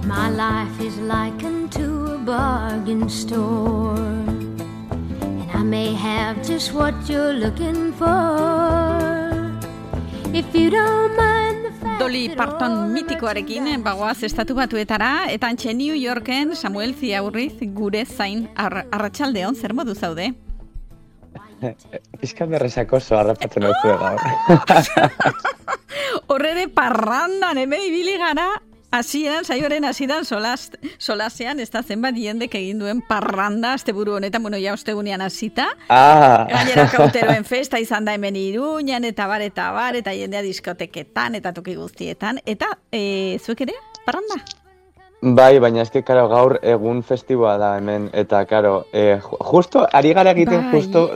My life is likened to a bargain store, and I may have just what you're looking for. If you don't mind the fact Dolly Parton mitikoarekin bagoaz Estatu Batuetara, eta antxe New Yorken Samuel Ziaurriz gure zain arratsaldeon, zer modu zaude? Pizkat berresakoso harrapatzen hau gaur. Horre parrandan hemen ibili gara, saioaren hasieran solasean, ez da zenbat jendek egin duen parranda, asteburu honetan, ja ostegunean hasita. Gainera kauteroen festa izan da hemen Iruñan, eta bar, eta jendea diskoteketan, eta toki guztietan. Eta, zuek ere, parranda? Bai, baina eske, karo, gaur egun festiboa da hemen, eta, karo, justo, ari gara egiten justo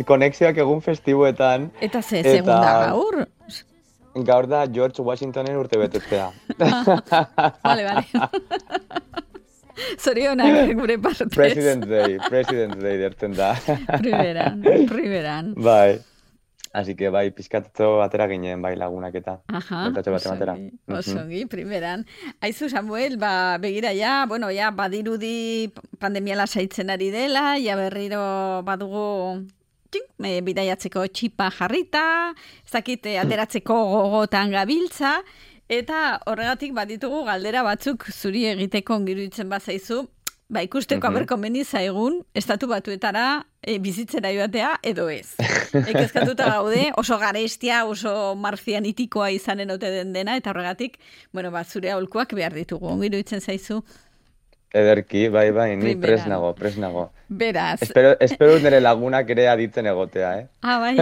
konexioak egun festiboetan. Eta segun da gaur? Gaur da George Washingtonen urte betetzea. Vale. Zorionak gure partez. President's Day dertzen da. Primeran. Bai. Así que bai, pizkatzo atera ginen bai lagunak eta. Batera. Osongi, primeran. Aizu Samuel, begira ja, badirudi pandemia lasaitzen ari dela, ja berriro badugu bidaiatzeko txipa jarrita, ezakit ateratzeko gogotan gabiltza, eta horregatik baditugu galdera batzuk zuri egiteko ongiruditzen bazaizu, ikusteko aberkomeni zaigun Estatu Batuetara bizitzera joatea edo ez. Kezkatuta gaude, oso garestia, oso marzianitikoa izanen ote den dena, eta horregatik, zure aholkuak behar ditugu, ongiruditzen zaizu. Ederki, bai, ni pres nago. Beraz. Espero nire lagunak ere aditzen egotea, bai.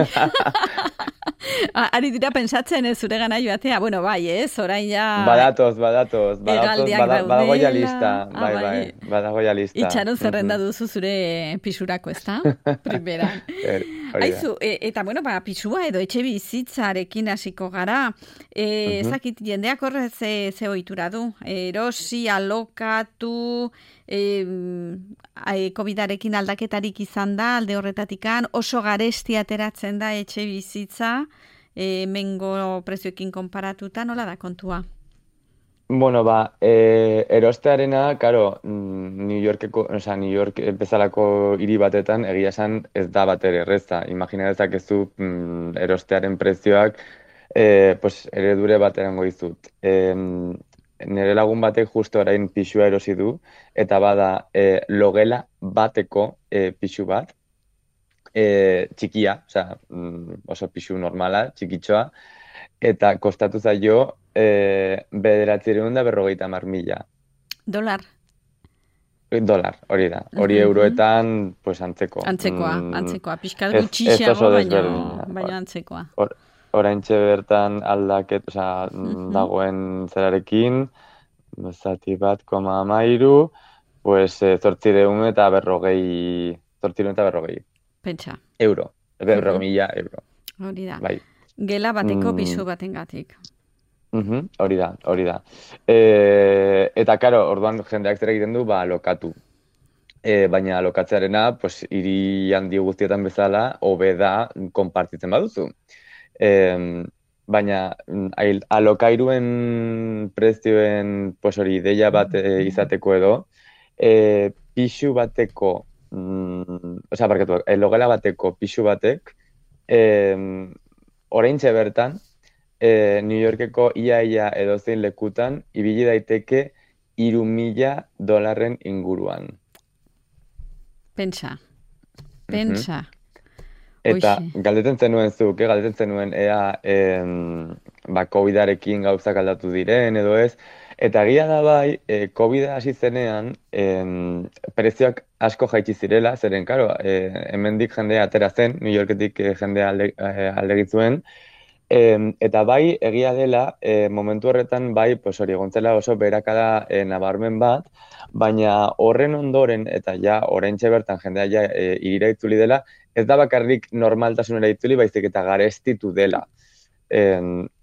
Ari dira pentsatzen zure gana joatea, bai, orain ja... Badatoz, badago ja lista, bai, badago ja lista. Itxaron zerrenda duzu zure pisurako, ez da? Primeran. Aizu, eta pisua edo etxe bizitzarekin hasiko gara, ezakit jendeak horrez ze ohitura du, erosi, alokatu, COVID-arekin aldaketarik izan da, alde horretatikan, oso garesti ateratzen da etxe bizitza, mengo prezioekin konparatuta, nola da kontua? Erostearena, karo, New York bezalako hiri batetan egia esan ez da bat ere erreza. Imagina dezakezu erostearen prezioak eredure bat erango dizut. Nire lagun batek justo orain pisua erosi du, eta bada logela bateko pisu bat, txikia, oso pisu normala, txikitxoa, eta kostatu zaio 950.000. Dolar, hori da. Hori euroetan, antzeko. Antzekoa. Pixkat gutxiago, baina antzekoa. Oraintxe bertan aldaket, dagoen zerarekin, zati bat, 0,3, 840. Pentsa. Euro. 100.000 euro. Hori da. Bai. Gela bateko pisu batengatik. Hori da. Eta, karo, orduan jendeak zer egiten du, alokatu. Baina alokatzearena, hiri handi guztietan bezala, hobe da, konpartitzen baduzu. Baina alokairuen prezioen hori ideia bat izateko edo, pisu bateko, logela bateko pisu batek, oraintxe bertan, New Yorkeko ia edozein lekutan, ibili daiteke $3.000 inguruan. Pentsa. Eta galdetzen zenuen ea COVID-arekin gauzak aldatu diren edo ez. Eta egia da bai, COVID hasi zenean prezioak asko jaitsi zirela, zeren, karo, hemendik jendea atera zen, New Yorketik jendea aldegitzuen. Eta bai, egia dela, momentu horretan bai, hori egontzela oso beherakada nabarmen bat, baina horren ondoren, eta oraintxe bertan jendea hirira itzuli dela, ez da bakarrik normaltasunera itzuli, baizik eta garestitu dela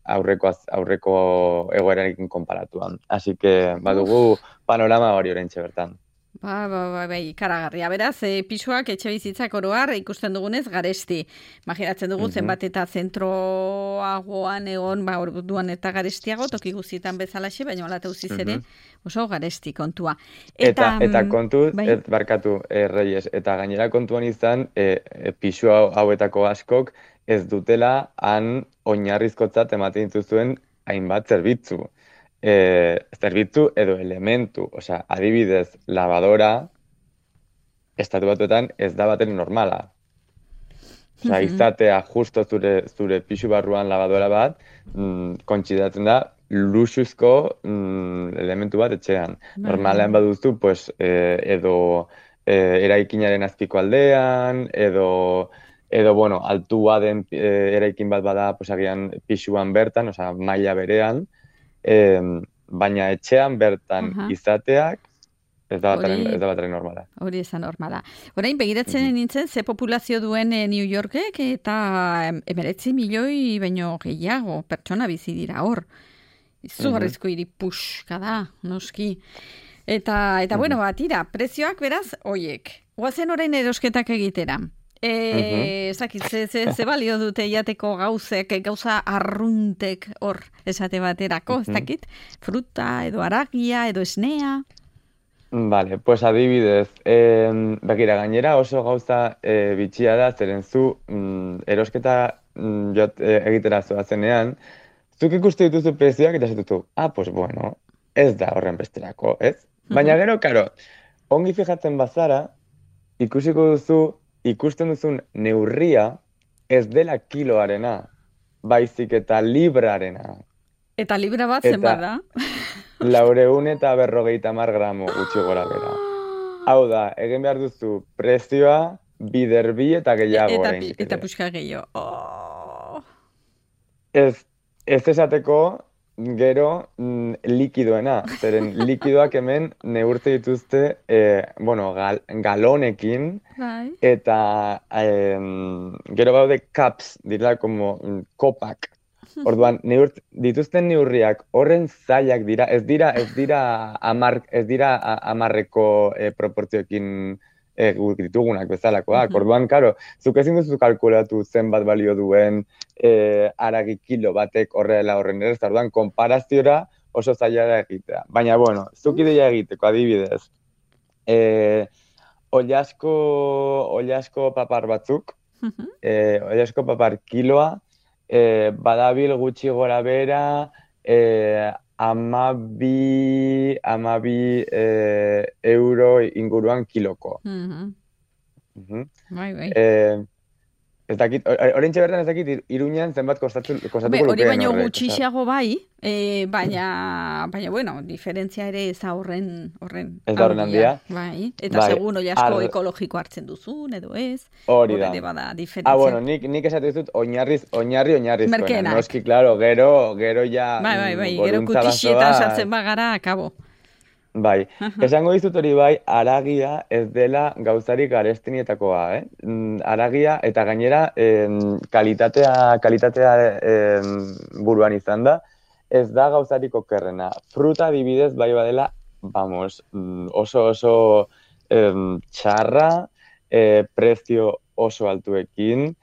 aurreko egoerarekin konparatuan. Así que badugu panorama hori oraintxe bertan. Bai, ikaragarria. Beraz, pisuak etxe bizitzak oroar ikusten dugunez garesti. Imaginatzen dugu zenbat eta zentroagoan egon, orduan eta garestiago, toki guztietan bezalaxe, baina hola tauziz ere oso garesti kontua. Eta kontu, barkatu, Reyes, eta gainera kontuan izan, pisu hauetako askok ez dutela han oinarrizkotzat ematen dituzuen hainbat zerbitzu. Zerbitzu edo elementu, osea, adibidez, lavadora, estatu batuetan ez da baten normala. Osea, izatea justo zure pixu barruan lavadora bat, kontsideratzen da luxuzko elementu bat etxean. Normalean baduzu, pues, edo eraikinaren azpiko aldean, edo bueno, altua den eraikin bat bada, pues, agian pixuan bertan, osea, maila berean, baina etxean bertan izateak ez da bataren normala. Hori ez da normala. Orain, begiratzen nintzen, ze populazio duen New Yorkek eta 19 milioi baino gehiago pertsona bizi dira hor. Izugarrizko hiri puxka da, noski. Eta bueno, tira, prezioak beraz, oiek. Oazen orain erosketak egitera. Ezakit, ze balio dute jateko gauza arruntek hor esate baterako, ez dakit? Fruta, edo aragia, edo esnea? Vale, pues adibidez, begira, gainera oso gauza bitxia da, zeren zu erosketa egitera zoazenean, zuk ikuste dituzu prezioak eta zitutu, pues bueno, ez da horren besterako, ez? Baina gero, karo, ongi fijatzen bazara, ikusten duzun neurria ez dela kiloarena, baizik eta librarena. Eta libra bat zenbat da? 450 gramo gutxi gora bera. Hau da, egin behar duzu prezioa biderbi eta gehiago. Eta puxka gehiago. Ez esateko gero likidoena, zeren likidoak hemen neurtze dituzte galonekin, eta gero baude cups, dira como kopak. Orduan, dituzten neurriak horren zailak dira, ez dira amarreko proportzioekin ditugunak bezalakoak. Orduan, karo, zuk ezin duzu kalkulatu zenbat balio duen aragi kilo batek horrela horren ere, orduan, konparaziora oso zaila da egitea. Baina, bueno, zuk ideia egiteko, adibidez, ollasko papar batzuk, ollasko papar kiloa, badabil gutxi gora bera, 12 euro inguruan kiloko. Bai. Ez dakit, orentxe bertan ez dakit, Iruñan zenbat kostatuko lukeen. Hori baino gutxixago bai, baina, bueno, diferentzia ere ez da horren ez da horren handia. Bai, eta segun oiasko ekologiko hartzen duzun, edo ez. Hori da. Bada diferentzia. Bueno, nik esate dizut oinarrizkoena. Merkenak. Noski, klaro, gero ja... Bai, gero kutixietan sartzen bagara, akabo. Bai, esango dizut hori bai, aragia ez dela gauzarik garestinietakoa, Aragia eta gainera kalitatea buruan izan da, ez da gauzarik okerrena. Fruta adibidez bai badela, oso txarra, prezio oso altuekin,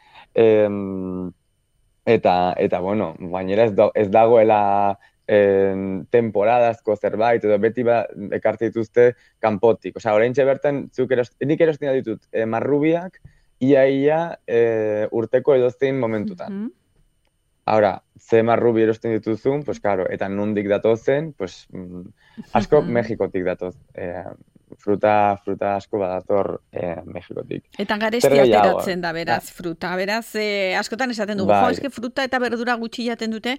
eta bueno, gainera ez dagoela temporadazko zerbait, edo beti ekartzen dituzte kanpotik. Osea, oraintxe bertan, nik erosten ditut marrubiak, ia urteko edozein momentutan. Ahora, ze marrubi erosten dituzun, pues claro, eta nondik datozen, pues asko Mexikotik datoz. Fruta asko badator Mexikotik. Eta garestia ateratzen da, beraz, fruta. Beraz, askotan esaten dugu, eske fruta eta berdura gutxi jaten dute,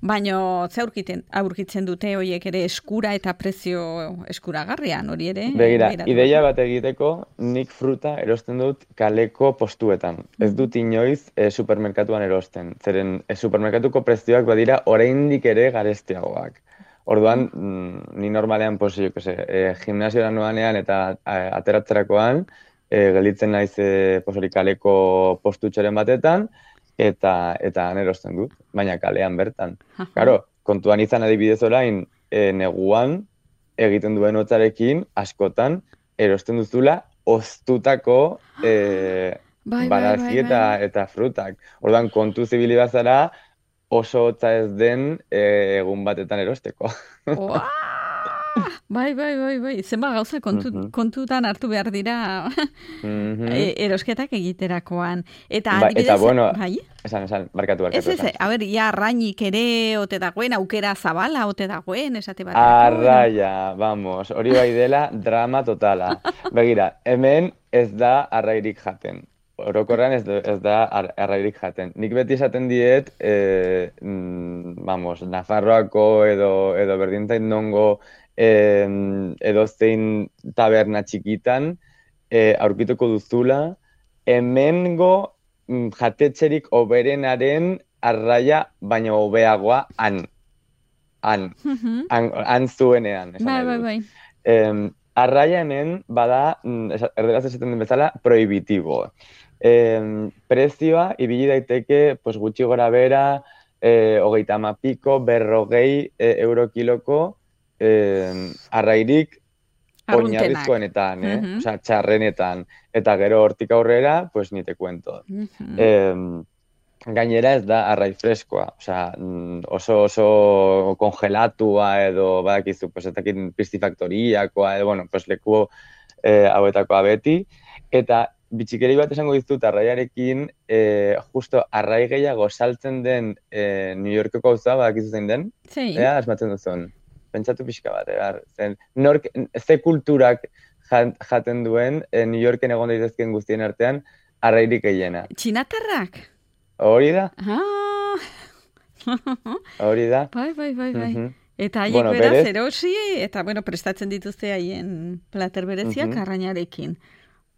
baino ze aurkitzen dute horiek ere eskura eta prezio eskuragarrian, hori ere? Begira, ideia bat egiteko, nik fruta erosten dut kaleko postuetan. Ez dut inoiz supermerkatuan erosten. Zeren supermerkatuko prezioak badira oraindik ere garestiagoak. Orduan, ni normalean, gimnasiora noanean eta ateratzerakoan, gelditzen naiz kaleko postutxeren batetan, eta erosten dut, baina kalean bertan. Claro, kontuan izan adibidez orain, neguan egiten duen hotzarekin, askotan, erosten duzula oztutako barazki bai. eta frutak. Orduan, kontu zibili bazara, oso hotza ez den egun batetan erosteko. Oa! Bai. Zenba gauza kontutan hartu behar dira erosketak egiterakoan. Eta adibidez, bueno, bai? Esan, barkatu. Ez, a ber, ja, arrainik ere ote dagoen, aukera zabala ote dagoen, esate bat. Arraia, vamos, hori bai dela drama totala. Begira, hemen ez da arrairik jaten. Orokorrean ez da arrairik jaten. Nik beti esaten diet, vamos, Nafarroako edo berdintain nongo edo zein taberna txikitan aurkituko duzula, hemengo jatetxerik oberenaren arraia baina hobeagoa han zuenean. Bai. Arraia hemen bada, erderaz esaten den bezala, prohibitibo. Prezioa ibili daiteke pues, gutxi gora bera, 30 piko, 40 euro kiloko, arrairik oinarrizkoenetan, osea, txarrenetan. Eta gero hortik aurrera, pues ni te cuento. Gainera ez da arrai freskoa, osea, oso kongelatua edo badakizu, pues ez dakit piscifaktoriakoa edo, bueno, pues leku hauetakoa beti. Eta bitxikeri bat esango dizut arraiarekin, justo arrai gehiago saltzen den New Yorkeko gauza, badakizu zein den? Ea, asmatzen duzun. Pentsatu pixka bat, ze kulturak jaten duen New Yorken egon daitezkeen guztien artean arrairik gehiena. Txinatarrak? Hori da. Hori da. Bai. Eta haiek beraz erosi, eta prestatzen dituzte haien plater bereziak arrainarekin.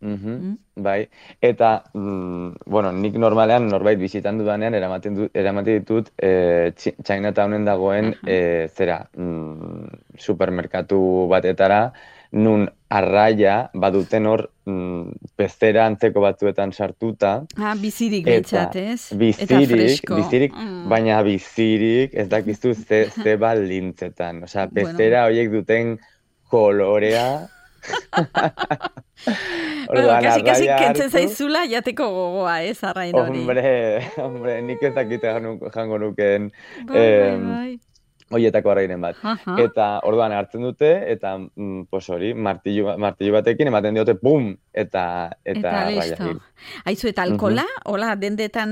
Bai, eta, nik normalean norbait bizitan dudanean eramaten ditut Chinatownen dagoen supermerkatu batetara, nun arraia baduten hor pezera antzeko batzuetan sartuta. Bizirik behintzat, ez? Bizirik, baina bizirik ez dakizu ze baldintzetan. Osea, pezera horiek duten kolorea. Kasi kentzen zaizula jateko gogoa, ez, arrain hori. Hombre, nik ez dakit jango nuken horietako arrainen bat. Eta orduan hartzen dute, eta hori, martillo batekin ematen diote, pum, eta arraia hil. Aizu, eta alkola? Hola, dendetan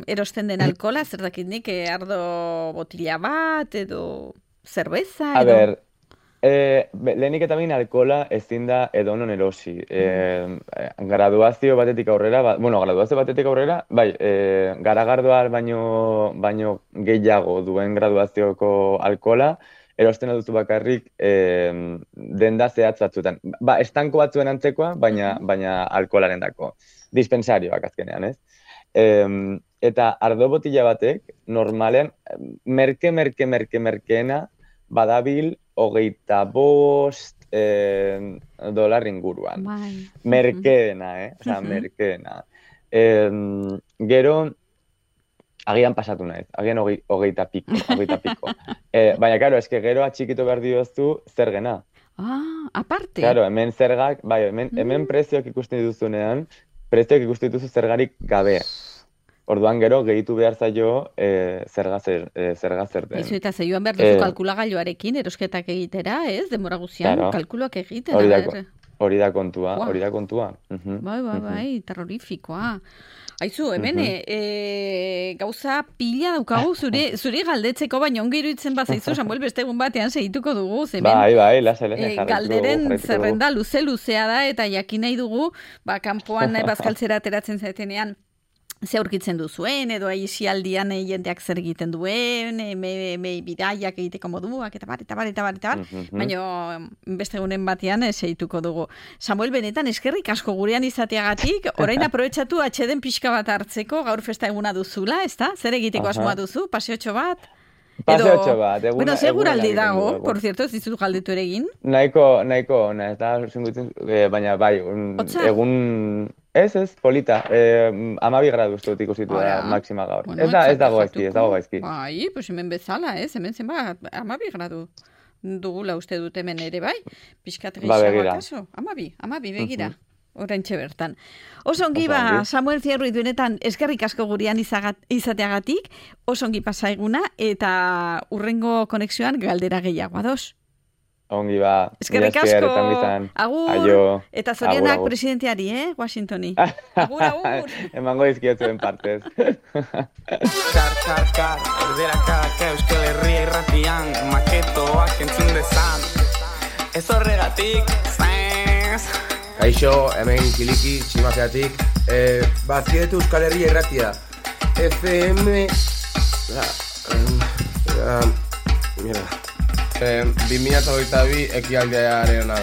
erosten den alkola, zer dakit nik, ardo botila bat, edo zerbeza, edo... A ber, lehenik eta bain alkola ezin da edonon erosi. Graduazio batetik aurrera, bai, garagardoa baino gehiago duen graduazioko alkola, erosten duzu bakarrik denda zehatz batzuetan. Estanko batzuen antzekoa, baina alkoholaren dako. Dispensarioak azkenean, ez? Eta ardo botila batek, normalean, merkeena, badabil $25 inguruan. Merkeena, Osa, merkeena. Gero, agian pasatu naiz, agian 20 piko. Baina, karo, eske gero atxikitu behar dioztu zergena. Aparte? Claro, hemen zergak, hemen prezioak ikusten dituzunean, dituzu zergarik gabe. Orduan gero, gehitu behar zaio zerga zer den. Izu eta zeioan behar duzu kalkulagailuarekin, erosketak egitera, ez? Demora guzian, kalkuloak egitera. Hori da kontua. Bai, terrorifikoa. Aizu, hemen, gauza pila daukagu zuri galdetzeko, baina ongi iruditzen bazaizu, Samuel, beste egun batean segituko dugu. Bai, lasa. Galderen zerrenda luzea da, eta jakin nahi dugu, kanpoan bazkaltzera ateratzen zaetenean, ze aurkitzen duzuen, edo aisialdian jendeak zer egiten duen, bidaiak egiteko moduak, eta bar. Baina beste egunen batean segituko dugu. Samuel, benetan eskerrik asko gurean izateagatik, orain aprobetxatu atxeden pixka bat hartzeko, gaur festa eguna duzula, ezta? Zer egiteko asmoa duzu? Paseotxo bat? Paseotxo bat. Bueno, seguraldi dago, por cierto, ez dizut galdetu ere egin. Nahiko, ez da, baina bai, egun... Ez, polita. 12 gradu uste dut ikusitu da máxima gaur. Ez dago gaizki. Bai, pues hemen bezala, ez? Hemen zenba, 12 gradu. dugula uste dut hemen ere bai, pixkat gehiago akaso. Amabi, begira. Oraintxe bertan. Oso ongi Samuel Fierro idunetan eskerrik asko gurean izateagatik, oso ongi pasaiguna eta urrengo konexioan galdera gehiago ados. Ongi ba. Eskerrik asko. Agur. Aio. Eta zorionak presidenteari, Washingtoni. Agur. Emango dizkietzuen partez. Kar, erderakak Euskal Herria irratian, maketoak entzun dezan. Ez horregatik, Kaixo, hemen Kiliki, Tximakeatik. Bazkietu Euskal Herria irratia. FM... Mira. 2022 ekialdearen da.